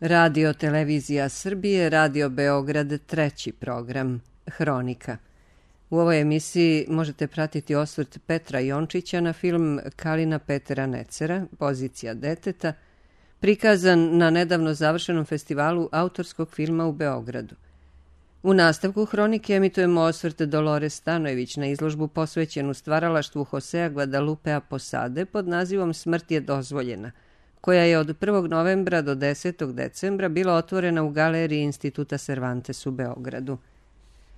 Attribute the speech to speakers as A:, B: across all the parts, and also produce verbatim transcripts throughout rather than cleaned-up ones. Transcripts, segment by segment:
A: Radio Televizija Srbije, Radio Beograd, treći program, Hronika. U ovoj emisiji možete pratiti osvrt Petra Jončića na film Kalina Petera Necera, Pozicija deteta, prikazan na nedavno završenom festivalu autorskog filma u Beogradu. U nastavku Hronike emitujemo osvrt Dolores Stanojević na izložbu posvećenu stvaralaštvu Josea Guadalupea Posade pod nazivom Smrt je dozvoljena, koja je od prvog novembra do desetog decembra bila otvorena u galeriji Instituta Cervantes u Beogradu.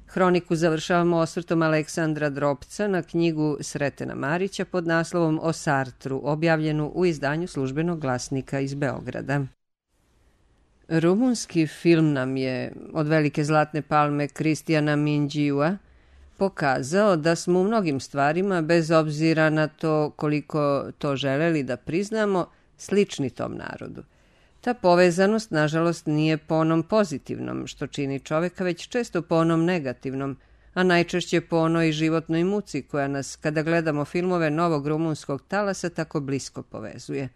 A: Hroniku završavamo osvrtom Aleksandra Dropca na knjigu Sretena Marića pod naslovom O Sartru, objavljenu u izdanju Službenog glasnika iz Beograda. Rumunski film nam je od velike zlatne palme Kristijana Minđiua pokazao da smo u mnogim stvarima, bez obzira na to koliko to želeli da priznamo, slični tom narodu. Ta povezanost, nažalost, nije po onom pozitivnom, što čini čoveka, već često po onom negativnom, a najčešće po onoj životnoj muci koja nas, kada gledamo filmove novog rumunskog talasa, tako blisko povezuje.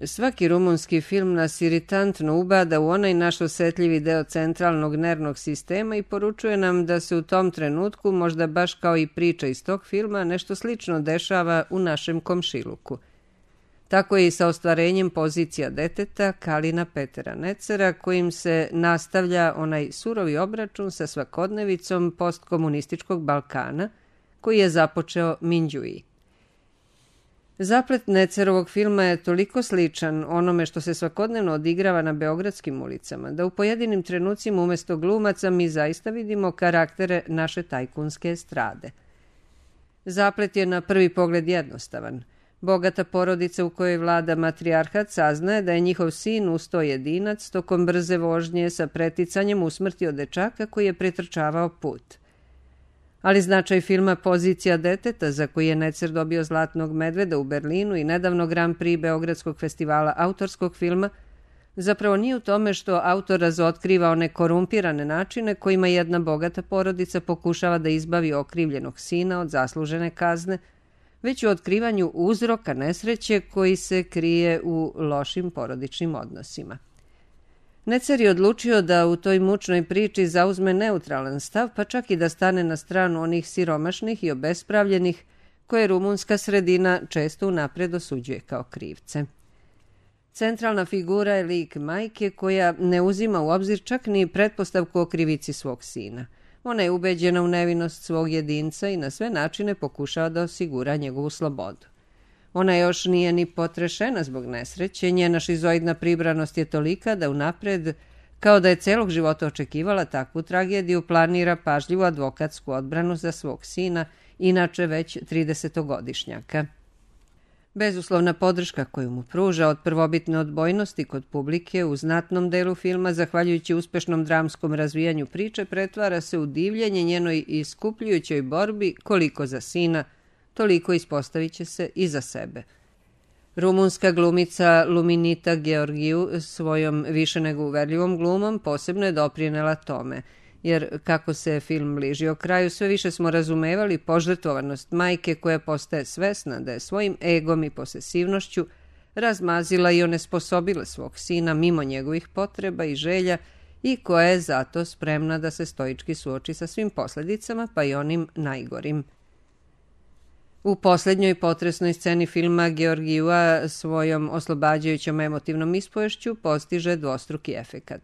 A: Svaki rumunski film nas iritantno ubada u onaj naš osetljivi deo centralnog nervnog sistema i poručuje nam da se u tom trenutku, možda baš kao i priča iz tog filma, nešto slično dešava u našem komšiluku. Tako je i sa ostvarenjem Pozicija deteta Kalina Petera Necera, kojim se nastavlja onaj surovi obračun sa svakodnevicom postkomunističkog Balkana, koji je započeo Minđui. Zaplet Necerovog filma je toliko sličan onome što se svakodnevno odigrava na beogradskim ulicama, da u pojedinim trenucima umjesto glumaca mi zaista vidimo karaktere naše tajkunske estrade. Zaplet je na prvi pogled jednostavan. Bogata porodica u kojoj vlada matrijarhat saznaje da je njihov sin usto jedinac tokom brze vožnje sa preticanjem usmrtio dečaka koji je pretrčavao put. Ali značaj filma Pozicija deteta, za koji je Necer dobio Zlatnog medveda u Berlinu i nedavno Grand Prix Beogradskog festivala autorskog filma, zapravo nije u tome što autor razotkriva one korumpirane načine kojima jedna bogata porodica pokušava da izbavi okrivljenog sina od zaslužene kazne, već u otkrivanju uzroka nesreće koji se krije u lošim porodičnim odnosima. Necer je odlučio da u toj mučnoj priči zauzme neutralan stav, pa čak i da stane na stranu onih siromašnih i obespravljenih, koje rumunska sredina često unapred osuđuje kao krivce. Centralna figura je lik majke koja ne uzima u obzir čak ni pretpostavku o krivici svog sina. Ona je ubeđena u nevinost svog jedinca i na sve načine pokušava da osigura njegovu slobodu. Ona još nije ni potrešena zbog nesreće, njena šizoidna pribranost je tolika da unapred, kao da je celog života očekivala takvu tragediju, planira pažljivu advokatsku odbranu za svog sina, inače već tridesetogodišnjaka. Bezuslovna podrška koju mu pruža od prvobitne odbojnosti kod publike u znatnom delu filma, zahvaljujući uspešnom dramskom razvijanju priče, pretvara se u divljenje njenoj iskupljujućoj borbi koliko za sina, toliko ispostavit će se i za sebe. Rumunska glumica Luminita Georgiju svojom više nego uverljivom glumom posebno je doprinela tome, jer kako se film bližio kraju, sve više smo razumevali požrtvovanost majke koja postaje svesna da je svojim egom i posesivnošću razmazila i onesposobila svog sina mimo njegovih potreba i želja i koja je zato spremna da se stoički suoči sa svim posledicama, pa i onim najgorim. U posljednjoj potresnoj sceni filma Georgijua svojom oslobađajućom emotivnom ispoješću postiže dvostruki efekat.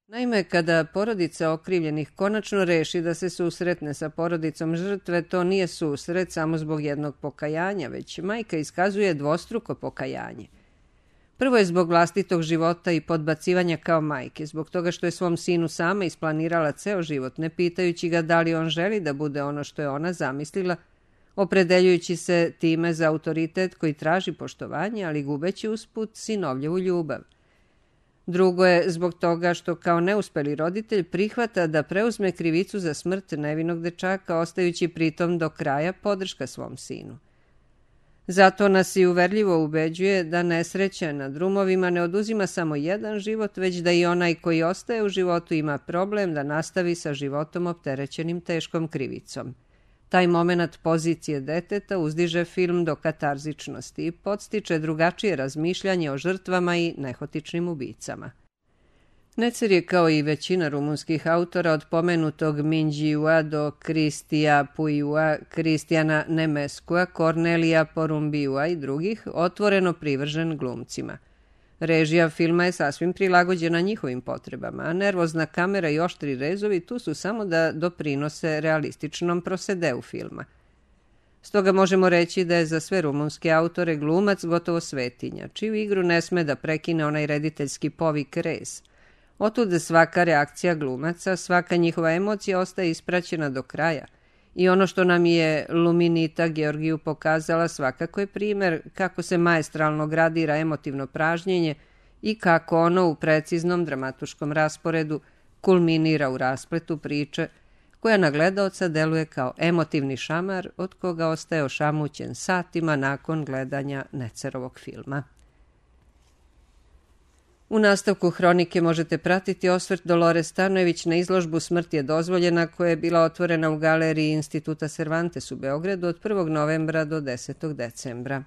A: Naime, kada porodica okrivljenih konačno reši da se susretne sa porodicom žrtve, to nije susret samo zbog jednog pokajanja, već majka iskazuje dvostruko pokajanje. Prvo je zbog vlastitog života i podbacivanja kao majke, zbog toga što je svom sinu sama isplanirala ceo život, ne pitajući ga da li on želi da bude ono što je ona zamislila, opredeljujući se time za autoritet koji traži poštovanje, ali gubeći usput sinovljevu ljubav. Drugo je zbog toga što kao neuspeli roditelj prihvata da preuzme krivicu za smrt nevinog dečaka, ostajući pritom do kraja podrška svom sinu. Zato nas i uverljivo ubeđuje da nesreća na drumovima ne oduzima samo jedan život, već da i onaj koji ostaje u životu ima problem da nastavi sa životom opterećenim teškom krivicom. Taj moment Pozicije deteta uzdiže film do katarzičnosti i podstiče drugačije razmišljanje o žrtvama i nehotičnim ubicama. Necer je, kao i većina rumunskih autora, od pomenutog Minđiua do Kristija Puiua, Kristijana Nemeskua, Kornelija Porumbiua i drugih, otvoreno privržen glumcima. Režija filma je sasvim prilagođena njihovim potrebama, a nervozna kamera i oštri rezovi tu su samo da doprinose realističnom prosedeu filma. Stoga možemo reći da je za sve rumunske autore glumac gotovo svetinja, čiju igru ne sme da prekine onaj rediteljski povik rez. Otuda svaka reakcija glumaca, svaka njihova emocija ostaje ispraćena do kraja i ono što nam je Luminita Georgiju pokazala svakako je primer kako se maestralno gradira emotivno pražnjenje i kako ono u preciznom dramatuškom rasporedu kulminira u raspletu priče koja na gledaoca deluje kao emotivni šamar od koga ostaje ošamućen satima nakon gledanja Necerovog filma. U nastavku hronike možete pratiti osvrt Dolores Stanojević na izložbu Smrt je dozvoljena, koja je bila otvorena u galeriji Instituta Cervantes u Beogradu od prvog novembra do desetog decembra.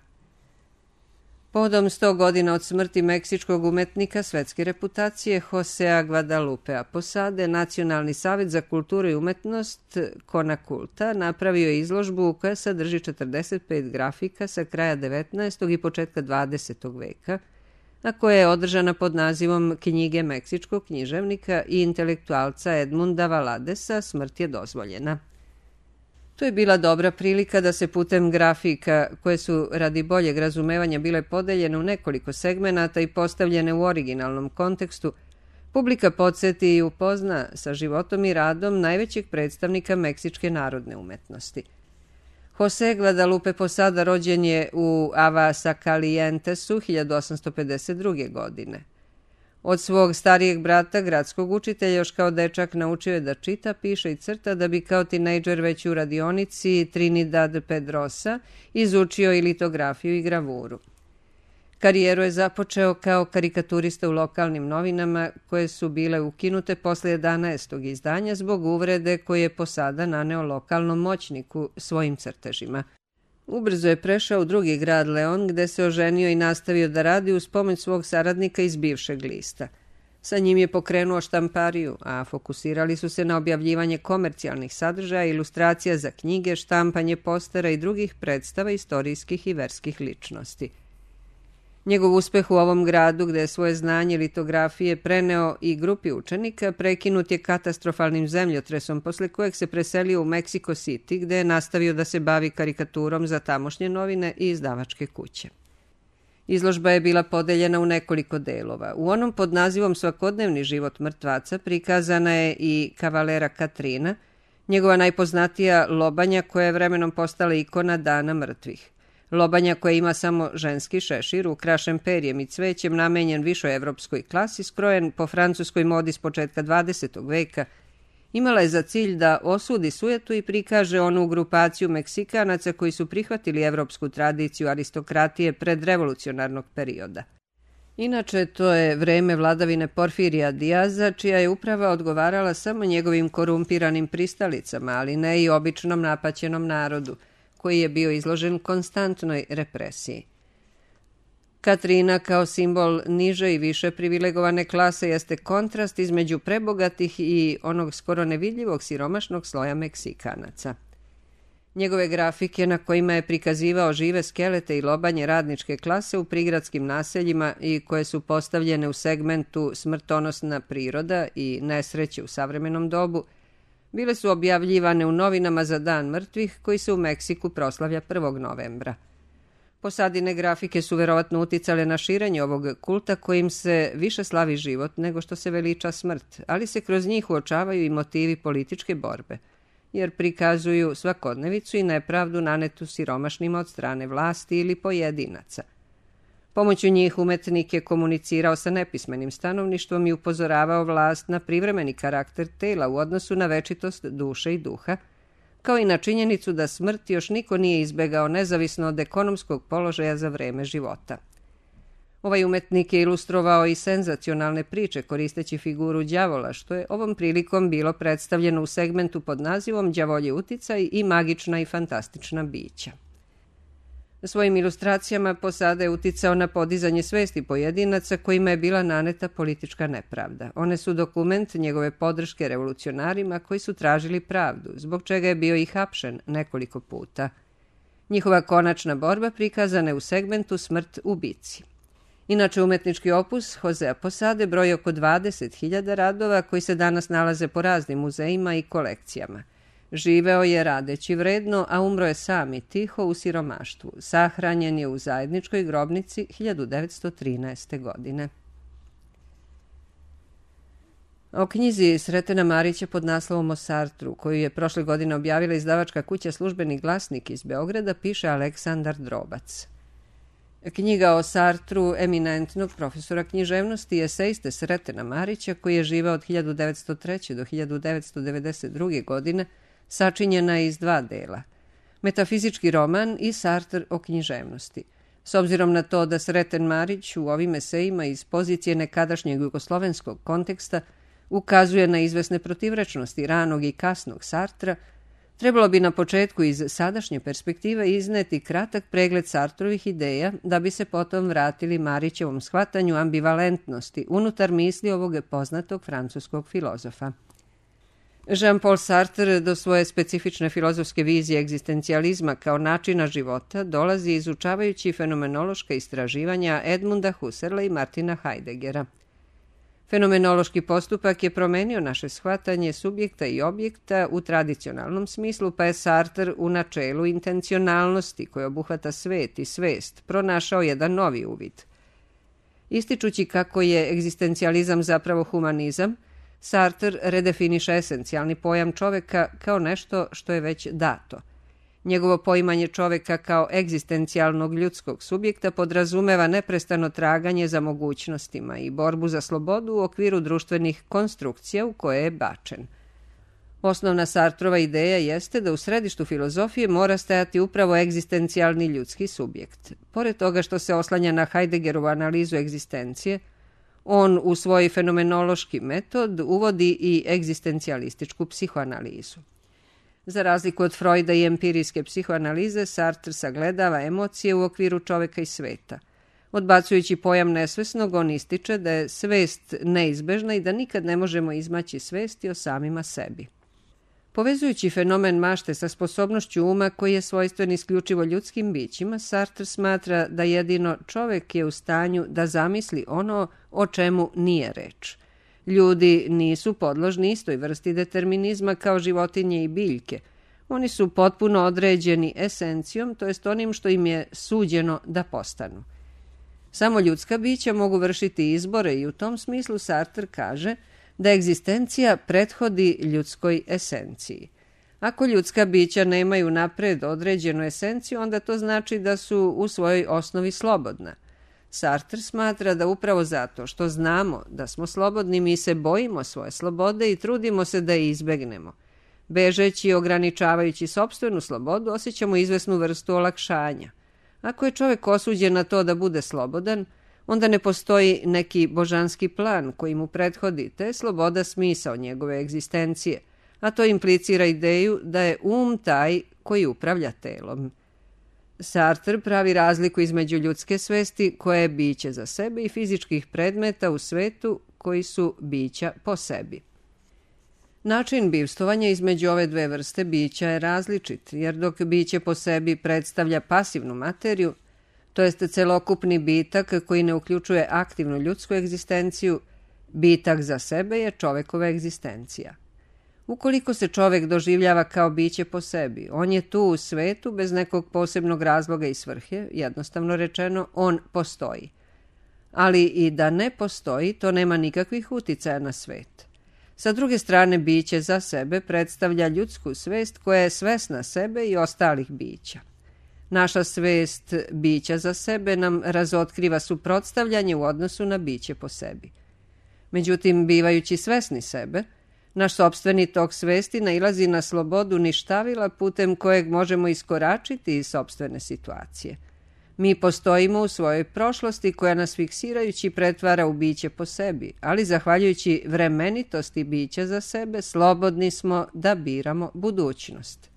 A: Povodom sto godina od smrti meksičkog umetnika svetske reputacije Josea Guadalupea Posade, Nacionalni savet za kulturu i umetnost Konakulta napravio je izložbu koja sadrži četrdeset pet grafika sa kraja devetnaestog i početka dvadesetog veka, a koja je održana pod nazivom Knjige meksičkog književnika i intelektualca Edmunda Valadesa Smrt je dozvoljena. To je bila dobra prilika da se putem grafika, koje su radi boljeg razumevanja bile podeljene u nekoliko segmenata i postavljene u originalnom kontekstu, publika podsjeti i upozna sa životom i radom najvećeg predstavnika meksičke narodne umetnosti. José Guadalupe Posada rođen je u Aguascalientesu hiljadu osamsto pedeset druge. godine. Od svog starijeg brata, gradskog učitelja, još kao dečak naučio je da čita, piše i crta, da bi kao tinejdžer već u radionici Trinidad Pedrosa izučio i litografiju i gravuru. Karijeru je započeo kao karikaturista u lokalnim novinama, koje su bile ukinute posle jedanaestog izdanja zbog uvrede koje je Posada naneo lokalnom moćniku svojim crtežima. Ubrzo je prešao u drugi grad Leon, gde se oženio i nastavio da radi uz pomoć svog saradnika iz bivšeg lista. Sa njim je pokrenuo štampariju, a fokusirali su se na objavljivanje komercijalnih sadržaja, ilustracija za knjige, štampanje postera i drugih predstava istorijskih i verskih ličnosti. Njegov uspeh u ovom gradu, gde je svoje znanje litografije preneo i grupi učenika, prekinut je katastrofalnim zemljotresom, posle kojeg se preselio u Mexico City, gde je nastavio da se bavi karikaturom za tamošnje novine i izdavačke kuće. Izložba je bila podeljena u nekoliko delova. U onom pod nazivom Svakodnevni život mrtvaca prikazana je i kavalera Katrina, njegova najpoznatija lobanja koja je vremenom postala ikona Dana mrtvih. Lobanja koja ima samo ženski šešir, ukrašen perjem i cvećem, namenjen višoj evropskoj klasi, skrojen po francuskoj modi s početka dvadesetog veka, imala je za cilj da osudi sujetu i prikaže onu grupaciju Meksikanaca koji su prihvatili evropsku tradiciju aristokratije predrevolucionarnog perioda. Inače, to je vreme vladavine Porfirija Dijaza, čija je uprava odgovarala samo njegovim korumpiranim pristalicama, ali ne i običnom napaćenom narodu, koji je bio izložen konstantnoj represiji. Katrina kao simbol niže i više privilegovane klase jeste kontrast između prebogatih i onog skoro nevidljivog siromašnog sloja Meksikanaca. Njegove grafike na kojima je prikazivao žive skelete i lobanje radničke klase u prigradskim naseljima i koje su postavljene u segmentu smrtonosna priroda i nesreće u savremenom dobu, bile su objavljivane u novinama za Dan mrtvih, koji se u Meksiku proslavlja prvog novembra. Posadine grafike su verovatno uticale na širenje ovog kulta kojim se više slavi život nego što se veliča smrt, ali se kroz njih uočavaju i motivi političke borbe, jer prikazuju svakodnevicu i nepravdu nanetu siromašnima od strane vlasti ili pojedinaca. Pomoću njih umetnik je komunicirao sa nepismenim stanovništvom i upozoravao vlast na privremeni karakter tela u odnosu na večitost duše i duha, kao i na činjenicu da smrt još niko nije izbegao nezavisno od ekonomskog položaja za vreme života. Ovaj umetnik je ilustrovao i senzacionalne priče koristeći figuru đavola, što je ovom prilikom bilo predstavljeno u segmentu pod nazivom Đavolji uticaj i magična i fantastična bića. Svojim ilustracijama Posada je uticao na podizanje svesti pojedinaca kojima je bila naneta politička nepravda. One su dokument njegove podrške revolucionarima koji su tražili pravdu, zbog čega je bio i hapšen nekoliko puta. Njihova konačna borba prikazana je u segmentu Smrt u bici. Inače, umetnički opus Josea Posade broji oko dvadeset hiljada radova koji se danas nalaze po raznim muzejima i kolekcijama. Živeo je radeći vredno, a umro je sam i tiho u siromaštvu. Sahranjen je u zajedničkoj grobnici hiljadu devetsto trinaeste. godine. O knjizi Sretena Marića pod naslovom o Sartru, koju je prošle godine objavila izdavačka kuća Službeni glasnik iz Beograda, piše Aleksandar Drobac. Knjiga o Sartru eminentnog profesora književnosti i eseiste Sretena Marića, koji je živeo od hiljadu devetsto treće. do hiljadu devetsto devedeset druge. godine, sačinjena je iz dva dela. Metafizički roman i Sartr o književnosti. S obzirom na to da Sreten Marić u ovim esejima iz pozicije nekadašnjeg jugoslovenskog konteksta ukazuje na izvesne protivrečnosti ranog i kasnog Sartra, trebalo bi na početku iz sadašnje perspektive izneti kratak pregled Sartrovih ideja da bi se potom vratili Marićevom shvatanju ambivalentnosti unutar misli ovog poznatog francuskog filozofa. Jean-Paul Sartre do svoje specifične filozofske vizije egzistencijalizma kao načina života dolazi izučavajući fenomenološka istraživanja Edmunda Husserla i Martina Heideggera. Fenomenološki postupak je promenio naše shvatanje subjekta i objekta u tradicionalnom smislu, pa je Sartre u načelu intencionalnosti koja obuhvata svet i svest pronašao jedan novi uvid. Ističući kako je egzistencijalizam zapravo humanizam, Sartre redefiniše esencijalni pojam čoveka kao nešto što je već dato. Njegovo poimanje čoveka kao egzistencijalnog ljudskog subjekta podrazumeva neprestano traganje za mogućnostima i borbu za slobodu u okviru društvenih konstrukcija u koje je bačen. Osnovna Sartrova ideja jeste da u središtu filozofije mora stajati upravo egzistencijalni ljudski subjekt. Pored toga što se oslanja na Heideggerovu analizu egzistencije, on u svoj fenomenološki metod uvodi i egzistencijalističku psihoanalizu. Za razliku od Freuda i empirijske psihoanalize, Sartre sagledava emocije u okviru čoveka i sveta. Odbacujući pojam nesvesnog, on ističe da je svest neizbežna i da nikad ne možemo izmaći svesti o samima sebi. Povezujući fenomen mašte sa sposobnošću uma koji je svojstven isključivo ljudskim bićima, Sartre smatra da jedino čovek je u stanju da zamisli ono o čemu nije reč. Ljudi nisu podložni istoj vrsti determinizma kao životinje i biljke. Oni su potpuno određeni esencijom, to jest onim što im je suđeno da postanu. Samo ljudska bića mogu vršiti izbore i u tom smislu Sartre kaže da egzistencija prethodi ljudskoj esenciji. Ako ljudska bića nemaju napred određenu esenciju, onda to znači da su u svojoj osnovi slobodna. Sartre smatra da upravo zato što znamo da smo slobodni, mi se bojimo svoje slobode i trudimo se da je izbegnemo. Bežeći i ograničavajući sopstvenu slobodu, osjećamo izvesnu vrstu olakšanja. Ako je čovjek osuđen na to da bude slobodan, onda ne postoji neki božanski plan koji mu prethodi, te je sloboda smisao njegove egzistencije, a to implicira ideju da je um taj koji upravlja telom. Sartre pravi razliku između ljudske svesti koja je biće za sebe i fizičkih predmeta u svetu koji su bića po sebi. Način bivstovanja između ove dve vrste bića je različit, jer dok biće po sebi predstavlja pasivnu materiju, to jest celokupni bitak koji ne uključuje aktivnu ljudsku egzistenciju, bitak za sebe je čovekova egzistencija. Ukoliko se čovek doživljava kao biće po sebi, on je tu u svetu bez nekog posebnog razloga i svrhe, jednostavno rečeno, on postoji. Ali i da ne postoji, to nema nikakvih uticaja na svet. Sa druge strane, biće za sebe predstavlja ljudsku svest koja je svesna sebe i ostalih bića. Naša svest bića za sebe nam razotkriva suprotstavljanje u odnosu na biće po sebi. Međutim, bivajući svesni sebe, naš sopstveni tok svesti nailazi na slobodu ništavila putem kojeg možemo iskoračiti iz sopstvene situacije. Mi postojimo u svojoj prošlosti koja nas fiksirajući pretvara u biće po sebi, ali zahvaljujući vremenitosti bića za sebe, slobodni smo da biramo budućnost.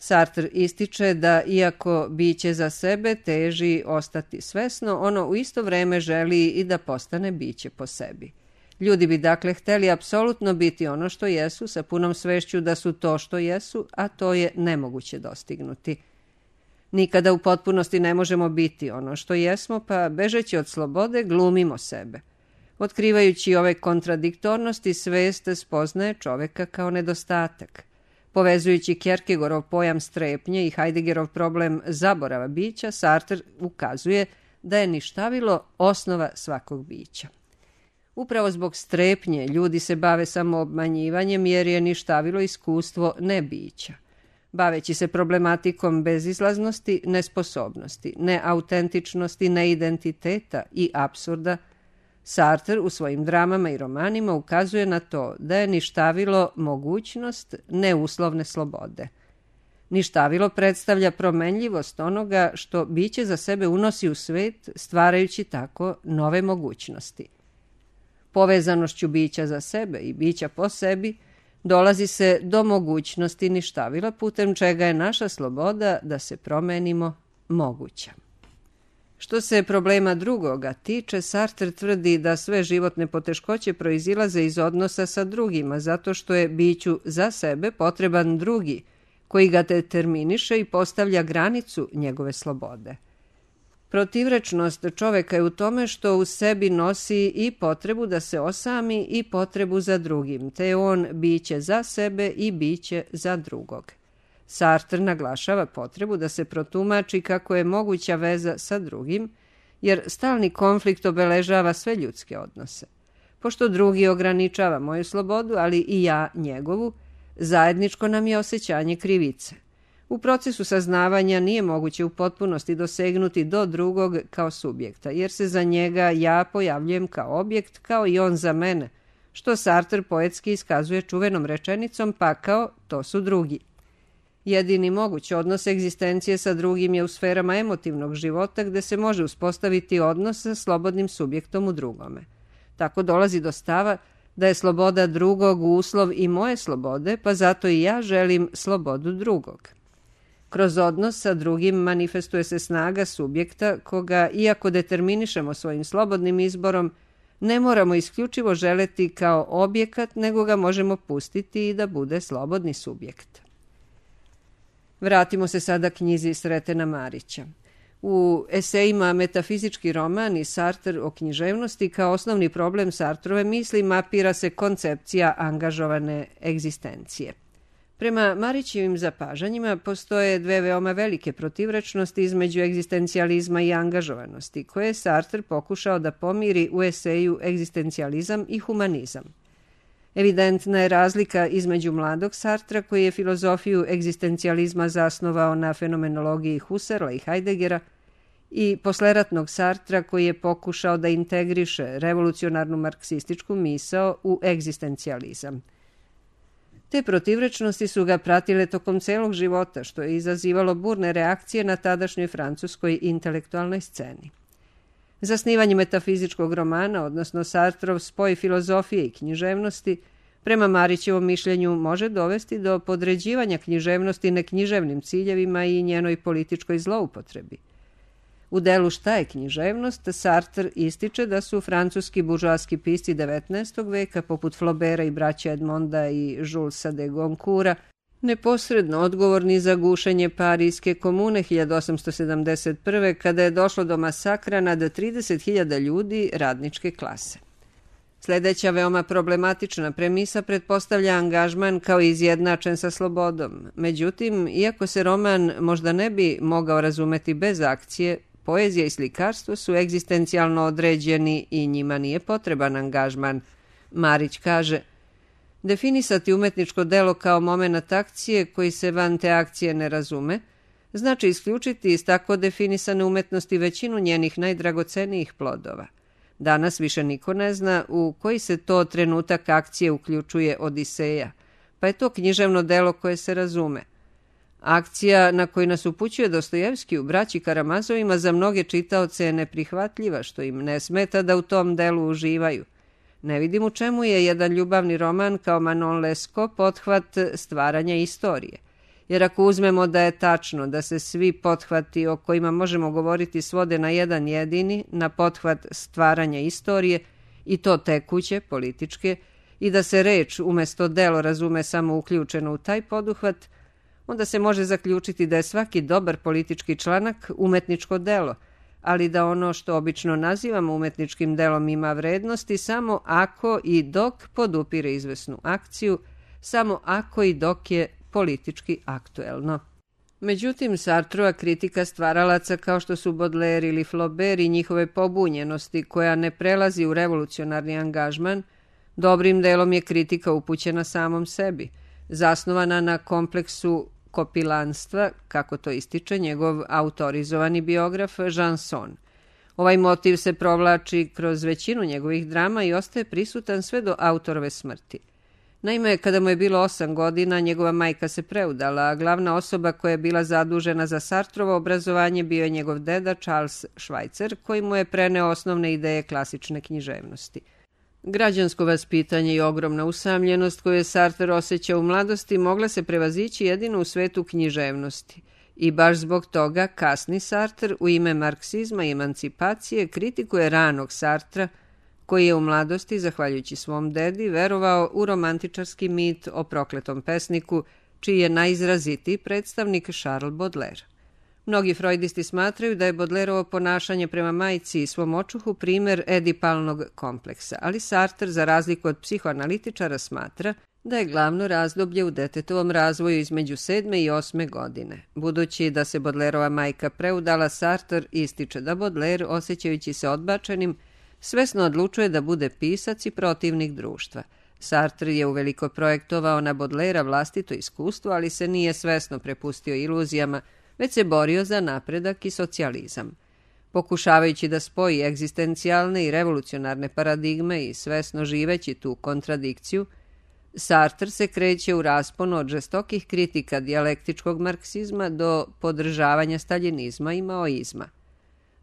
A: Sartre ističe da iako biće za sebe teži ostati svesno, ono u isto vreme želi i da postane biće po sebi. Ljudi bi dakle hteli apsolutno biti ono što jesu, sa punom svešću da su to što jesu, a to je nemoguće dostignuti. Nikada u potpunosti ne možemo biti ono što jesmo, pa bežeći od slobode glumimo sebe. Otkrivajući ove kontradiktornosti, svest spoznaje čoveka kao nedostatak. Povezujući Kierkegaardov pojam strepnje i Heideggerov problem zaborava bića, Sartre ukazuje da je ništavilo osnova svakog bića. Upravo zbog strepnje ljudi se bave samoobmanjivanjem jer je ništavilo iskustvo nebića. Baveći se problematikom bezizlaznosti, nesposobnosti, neautentičnosti, neidentiteta i apsurda, Sartre u svojim dramama i romanima ukazuje na to da je ništavilo mogućnost neuslovne slobode. Ništavilo predstavlja promenljivost onoga što biće za sebe unosi u svet, stvarajući tako nove mogućnosti. Povezanošću bića za sebe i bića po sebi dolazi se do mogućnosti ništavila, putem čega je naša sloboda da se promenimo moguća. Što se problema drugoga tiče, Sartre tvrdi da sve životne poteškoće proizilaze iz odnosa sa drugima, zato što je biću za sebe potreban drugi, koji ga determiniše i postavlja granicu njegove slobode. Protivrečnost čoveka je u tome što u sebi nosi i potrebu da se osami i potrebu za drugim, te je on biće za sebe i biće za drugog. Sartre naglašava potrebu da se protumači kako je moguća veza sa drugim, jer stalni konflikt obeležava sve ljudske odnose. Pošto drugi ograničava moju slobodu, ali i ja njegovu, zajedničko nam je osjećanje krivice. U procesu saznavanja nije moguće u potpunosti dosegnuti do drugog kao subjekta, jer se za njega ja pojavljujem kao objekt, kao i on za mene, što Sartre poetski iskazuje čuvenom rečenicom pakao, to su drugi. Jedini moguć odnos egzistencije sa drugim je u sferama emotivnog života gde se može uspostaviti odnos sa slobodnim subjektom u drugome. Tako dolazi do stava da je sloboda drugog uslov i moje slobode, pa zato i ja želim slobodu drugog. Kroz odnos sa drugim manifestuje se snaga subjekta koga, iako determinišemo svojim slobodnim izborom, ne moramo isključivo želeti kao objekat, nego ga možemo pustiti i da bude slobodni subjekt. Vratimo se sada knjizi Sretena Marića. U esejima Metafizički roman i Sartre o književnosti kao osnovni problem Sartrove misli mapira se koncepcija angažovane egzistencije. Prema Marićevim zapažanjima postoje dve veoma velike protivrečnosti između egzistencijalizma i angažovanosti, koje je Sartre pokušao da pomiri u eseju Egzistencijalizam i humanizam. Evidentna je razlika između mladog Sartra, koji je filozofiju egzistencijalizma zasnovao na fenomenologiji Husserla i Heideggera, i posleratnog Sartra, koji je pokušao da integriše revolucionarnu marksističku misao u egzistencijalizam. Te protivrečnosti su ga pratile tokom celog života, što je izazivalo burne reakcije na tadašnjoj francuskoj intelektualnoj sceni. Zasnivanje metafizičkog romana, odnosno Sartrov spoj filozofije i književnosti, prema Marićevom mišljenju može dovesti do podređivanja književnosti neknjiževnim ciljevima i njenoj političkoj zloupotrebi. U delu Šta je književnost, Sartre ističe da su francuski buržoaski pisci devetnaestog veka, poput Flaubera i braća Edmonda i Julesa de Goncourta, neposredno odgovorni za gušenje Parijske komune hiljadu osamsto sedamdeset prve. kada je došlo do masakra nad trideset hiljada ljudi radničke klase. Sledeća veoma problematična premisa pretpostavlja angažman kao izjednačen sa slobodom. Međutim, iako se roman možda ne bi mogao razumeti bez akcije, poezija i slikarstvo su egzistencijalno određeni i njima nije potreban angažman. Marić kaže: definisati umetničko delo kao momenat akcije koji se van te akcije ne razume, znači isključiti iz tako definisane umetnosti većinu njenih najdragocenijih plodova. Danas više niko ne zna u koji se to trenutak akcije uključuje Odiseja, pa je to književno delo koje se razume. Akcija na koju nas upućuje Dostojevski u Braći Karamazovima za mnoge čitaoce je neprihvatljiva, što im ne smeta da u tom delu uživaju. Ne vidim u čemu je jedan ljubavni roman kao Manon Lescaut pothvat stvaranja istorije. Jer ako uzmemo da je tačno da se svi pothvati o kojima možemo govoriti svode na jedan jedini, na pothvat stvaranja istorije, i to tekuće, političke, i da se reč umjesto delo razume samo uključeno u taj poduhvat, onda se može zaključiti da je svaki dobar politički članak umetničko delo, ali da ono što obično nazivamo umetničkim delom ima vrednosti samo ako i dok podupire izvesnu akciju, samo ako i dok je politički aktuelno. Međutim, Sartrova kritika stvaralaca kao što su Baudelaire ili Flaubert i njihove pobunjenosti koja ne prelazi u revolucionarni angažman, dobrim delom je kritika upućena samom sebi, zasnovana na kompleksu kopilanstva, kako to ističe njegov autorizovani biograf Jean Son. Ovaj motiv se provlači kroz većinu njegovih drama i ostaje prisutan sve do autorove smrti. Naime, kada mu je bilo osam godina, njegova majka se preudala, a glavna osoba koja je bila zadužena za Sartrovo obrazovanje bio je njegov deda Charles Schweitzer, koji mu je preneo osnovne ideje klasične književnosti. Građansko vaspitanje i ogromna usamljenost koju je Sartre osjećao u mladosti mogla se prevazići jedino u svetu književnosti. I baš zbog toga kasni Sartre u ime marksizma i emancipacije kritikuje ranog Sartra, koji je u mladosti, zahvaljujući svom dedi, verovao u romantičarski mit o prokletom pesniku, čiji je najizrazitiji predstavnik Charles Baudelaire. Mnogi freudisti smatraju da je Baudelaireovo ponašanje prema majci i svom očuhu primer edipalnog kompleksa, ali Sartre, za razliku od psihoanalitičara, smatra da je glavno razdoblje u detetovom razvoju između sedme i osme godine. Budući da se Baudelaireova majka preudala, Sartre ističe da Baudelaire, osjećajući se odbačenim, svesno odlučuje da bude pisac i protivnik društva. Sartre je uveliko projektovao na Baudelairea vlastito iskustvo, ali se nije svesno prepustio iluzijama, već se borio za napredak i socijalizam. Pokušavajući da spoji egzistencijalne i revolucionarne paradigme i svesno živeći tu kontradikciju, Sartre se kreće u rasponu od žestokih kritika dijalektičkog marksizma do podržavanja staljinizma i maoizma.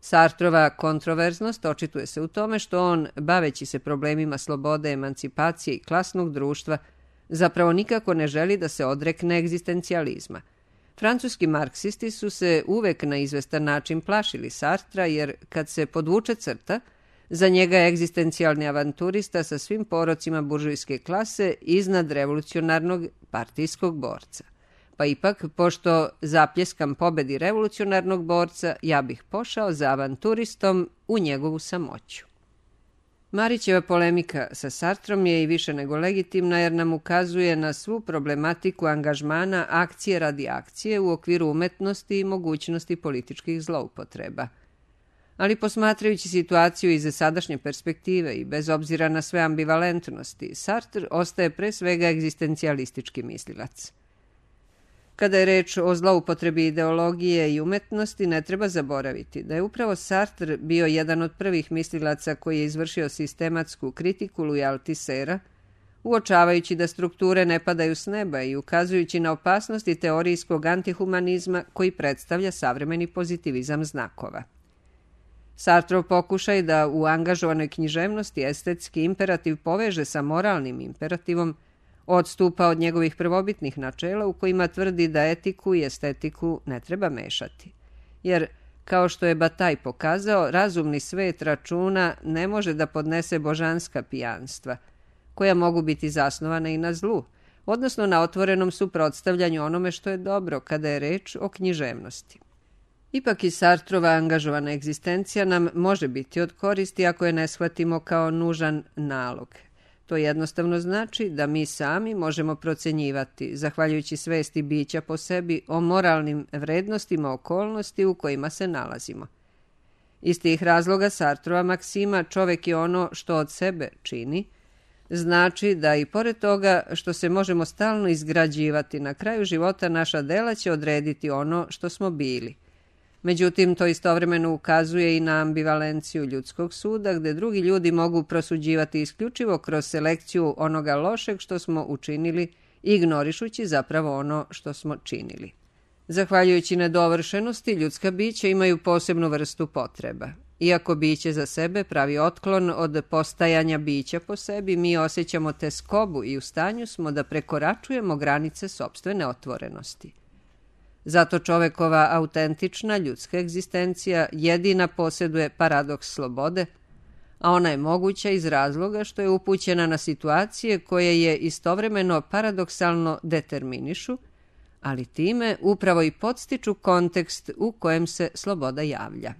A: Sartrova kontroverznost očituje se u tome što on, baveći se problemima slobode, emancipacije i klasnog društva, zapravo nikako ne želi da se odrekne egzistencijalizma. Francuski marksisti su se uvek na izvestan način plašili Sartra, jer kad se podvuče crta, za njega je egzistencijalni avanturista sa svim porocima buržujske klase iznad revolucionarnog partijskog borca. Pa ipak, pošto zapljeskam pobedi revolucionarnog borca, ja bih pošao za avanturistom u njegovu samoću. Marićeva polemika sa Sartrom je i više nego legitimna jer nam ukazuje na svu problematiku angažmana akcije radi akcije u okviru umetnosti i mogućnosti političkih zloupotreba. Ali posmatrajući situaciju iz sadašnje perspektive i bez obzira na sve ambivalentnosti, Sartre ostaje pre svega egzistencijalistički mislilac. Kada je reč o zloupotrebi ideologije i umetnosti, ne treba zaboraviti da je upravo Sartre bio jedan od prvih mislilaca koji je izvršio sistematsku kritiku Louisa Althusera, uočavajući da strukture ne padaju s neba i ukazujući na opasnosti teorijskog antihumanizma koji predstavlja savremeni pozitivizam znakova. Sartrov pokušaj da u angažovanoj književnosti estetski imperativ poveže sa moralnim imperativom odstupa od njegovih prvobitnih načela u kojima tvrdi da etiku i estetiku ne treba mešati. Jer, kao što je Bataille pokazao, razumni svet računa ne može da podnese božanska pijanstva, koja mogu biti zasnovana i na zlu, odnosno na otvorenom suprotstavljanju onome što je dobro kada je reč o književnosti. Ipak i Sartrova angažovana egzistencija nam može biti od koristi ako je ne shvatimo kao nužan nalog. To jednostavno znači da mi sami možemo procenjivati, zahvaljujući svesti bića po sebi, o moralnim vrednostima okolnosti u kojima se nalazimo. Iz tih razloga Sartrova maksima "čovek je ono što od sebe čini" znači da i pored toga što se možemo stalno izgrađivati, na kraju života naša dela će odrediti ono što smo bili. Međutim, to istovremeno ukazuje i na ambivalenciju ljudskog suda, gde drugi ljudi mogu prosuđivati isključivo kroz selekciju onoga lošeg što smo učinili, ignorišući zapravo ono što smo činili. Zahvaljujući nedovršenosti, ljudska bića imaju posebnu vrstu potreba. Iako biće za sebe pravi otklon od postajanja bića po sebi, mi osjećamo teskobu i u stanju smo da prekoračujemo granice sopstvene otvorenosti. Zato čovekova autentična ljudska egzistencija jedina posjeduje paradoks slobode, a ona je moguća iz razloga što je upućena na situacije koje je istovremeno paradoksalno determinišu, ali time upravo i podstiču kontekst u kojem se sloboda javlja.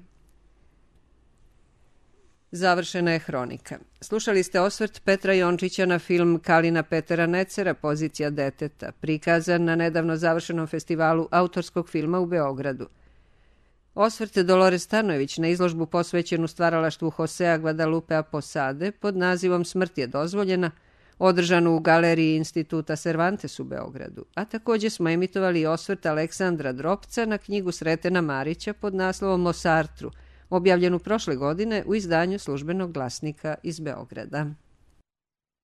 A: Završena je hronika. Slušali ste osvrt Petra Jončića na film Kalina Petera Necera, Pozicija deteta, prikazan na nedavno završenom festivalu autorskog filma u Beogradu. Osvrt Dolores Stanojević na izložbu posvećenu stvaralaštvu Josea Guadalupea Posade pod nazivom Smrt je dozvoljena, održanu u galeriji Instituta Cervantes u Beogradu, a također smo emitovali osvrt Aleksandra Dropca na knjigu Sretena Marića pod naslovom O Sartru, objavljenu prošle godine u izdanju Službenog glasnika iz Beograda.